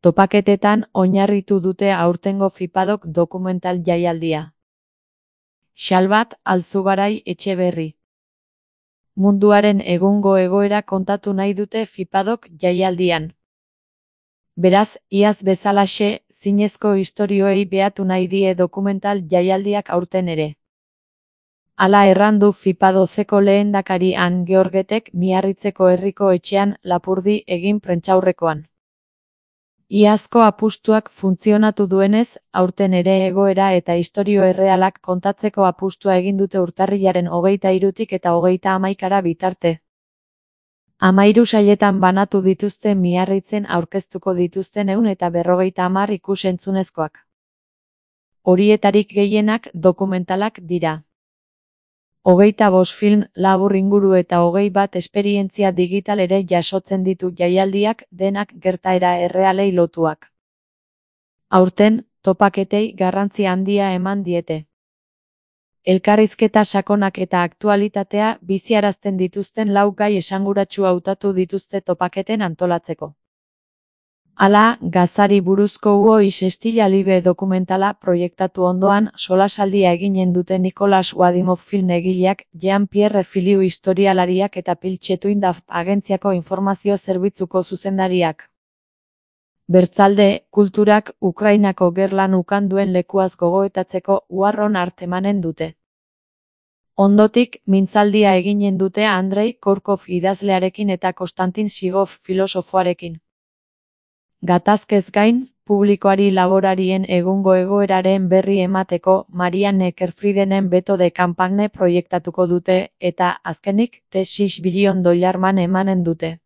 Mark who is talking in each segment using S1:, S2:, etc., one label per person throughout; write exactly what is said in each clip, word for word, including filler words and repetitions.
S1: Topaketetan oinarritu dute aurtengo Fipadok dokumental jaialdia. Xalbat Alzugarai Etxeberri. Munduaren egungo egoera kontatu nahi dute Fipadok jaialdian. Beraz, iaz bezalaxe, zinezko istorioei behatu nahi die dokumental jaialdiak aurten ere. Hala errandu Fipadozeko lehendakari Han Georgetek Miarritzeko herriko etxean Lapurdi egin prentsaurrekoan. Iazko apustuak funtzionatu duenez, aurten ere egoera eta istorio errealak kontatzeko apustua egin dute urtarrilaren hogeita hirutik eta hogeita hamaikara bitarte. Hamahiru sailetan banatu dituzte Miarritzen aurkeztuko dituzten ehun eta berrogeita hamar ikus-entzunezkoak. Horietarik gehienak dokumentalak dira. Hogeita bost film labur inguru eta hogei bat esperientzia digital ere jasotzen ditu jaialdiak, denak gertaera errealei lotuak. Aurten, topaketei garrantzi handia eman diete. Elkarrizketa sakonak eta aktualitatea biziarazten dituzten lau gai esanguratsu hautatu dituzte topaketen antolatzeko. Hala, gazari buruzko Uois Estila Libe dokumentala proiektatu ondoan solasaldia eginen dute Nikolas Wadimov film egileak, Jean-Pierre Filiu historialariak eta Piltxetuindaf agentziako informazio zerbitzuko zuzendariak. Bertzalde, kulturak Ukrainako gerlan ukan duen lekuaz gogoetatzeko uharron art emanen dute. Ondotik, mintzaldia eginen dute Andrei Korkov idazlearekin eta Konstantin Sigov filosofoarekin. Gatazkez gain, publikoari laborarien egungo egoeraren berri emateko Marianne Kerfridenen Beto de Campagne proiektatuko dute eta, azkenik, The six billion dollar man emanen dute.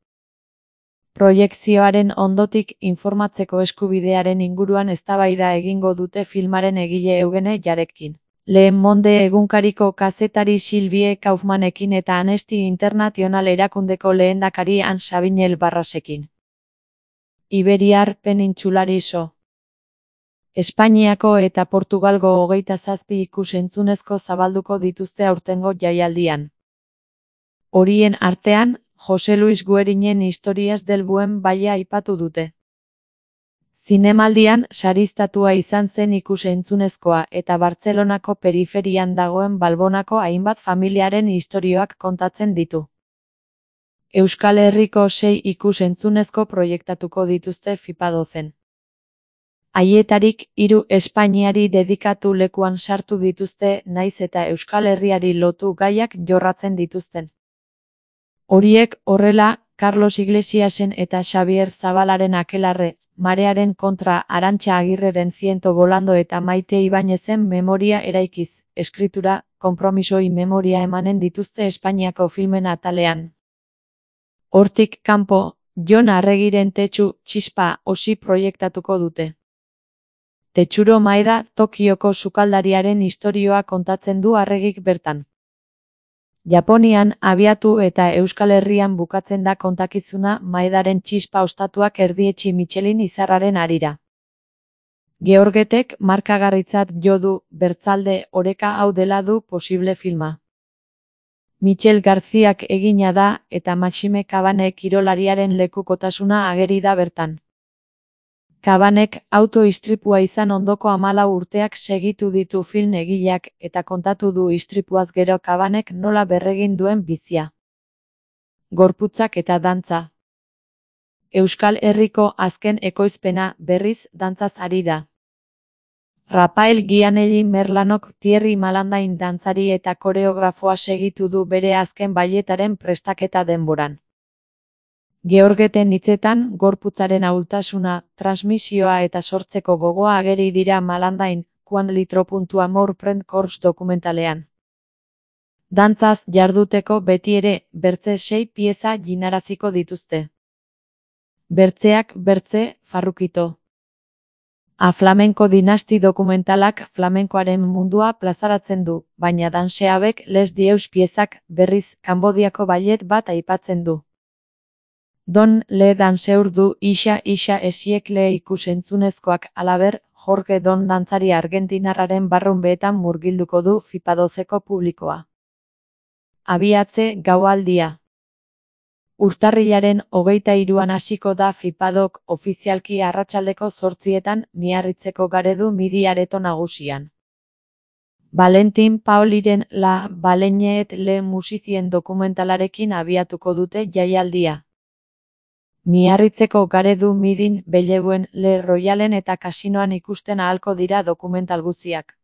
S1: Proiekzioaren ondotik informatzeko eskubidearen inguruan eztabaida egingo dute filmaren egile Eugene Jarekin. Le Monde egunkariko kazetari Sylvie Kaufmanekin eta Amnesty International erakundeko lehendakari Han Sabinel Barrasekin. Iberiar penintsulari so. Espainiako eta Portugalgo hogeita zazpi ikus-entzunezko zabalduko dituzte aurtengo jaialdian. Horien artean, Jose Luis Guerinen Historias del Buen Valle aipatu dute. Zinemaldian sariztatua izan zen ikus-entzunezkoa eta Bartzelonako periferian dagoen Balbonako hainbat familiaren istorioak kontatzen ditu. Euskal Herriko sei ikus-entzunezko proiektatuko dituzte Fipadozen. Haietarik hiru Espainiari dedikatu lekuan sartu dituzte naiz eta Euskal Herriari lotu gaiak jorratzen dituzten. Horiek horrela, Carlos Iglesiasen eta Xabier Zabalaren Akelarre, Marearen kontra Arantxa Agirreren Ziento Bolando eta Maite Ibainezen memoria eraikiz, eskritura, konpromisoi memoria emanen dituzte Espainiako filmen atalean. Hortik kanpo, Jon Arregiren Tetsu Txispa osi proiektatuko dute. Tetsuro Maeda Tokioko sukaldariaren istorioa kontatzen du Arregik bertan. Japonian abiatu eta Euskal Herrian bukatzen da kontakizuna Maedaren txispa ostatuak erdietsi Michelin izarraren harira. Georgetek markagarritzat jo du bertzalde oreka hau dela du posible filma. Michel Garziak egina da eta Maxime Cabane kirolariaren lekukotasuna ageri da bertan. Cabanek auto-istripua izan ondoko hamalau urteak segitu ditu film egileak eta kontatu du istripuaz gero Cabanek nola berregin duen bizia. Gorputzak eta dantza. Euskal Herriko azken ekoizpena berriz dantzaz ari da. Rafael Gianelli Merlanok Thierry Malandain dantzari eta koreografoa segitu du bere azken bailetaren prestaketa denboran. Georgeten hitzetan, gorputzaren ahultasuna, transmisioa eta sortzeko gogoa ageri dira Malandain, Quan litro puntu amor prend course dokumentalean. Dantzaz jarduteko beti ere, bertze sei pieza jinaraziko dituzte. Bertzeak bertze, farrukito. A flamenko dinasti dokumentalak flamenkoaren mundua plazaratzen du, baina danseabek les dieus piezak, berriz, Kanbodiako ballet bat aipatzen du. Don le danseur du isa isa esiekle ikusentzunezkoak alaber, Jorge Don dantzari argentinarraren barrunbeetan murgilduko du Fipadozeko publikoa. Abiatze gaualdia. Urtarrilaren hogeita hiruan hasiko da Fipadok ofizialki arratsaldeko zortzietan Miarritzeko Garedu Midi areto nagusian. Valentin Paoliren La Baleine et le Musicien dokumentalarekin abiatuko dute jaialdia. Miarritzeko Garedu Midin, Bellevuen, Le Royalen eta kasinoan ikusten ahalko dira dokumental guztiak.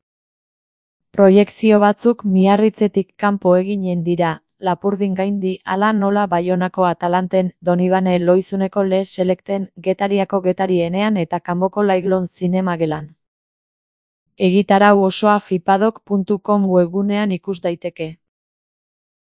S1: Proiekzio batzuk Miarritzetik kanpo eginen dira, Lapurdin gaindi, hala nola Baionako Atalanten, Donibane Loizuneko Le Selecten, Getariako Getarienean eta Kanboko Laiglon zinemagelan. Egitarau osoa fipadok puntu com webgunean ikus daiteke.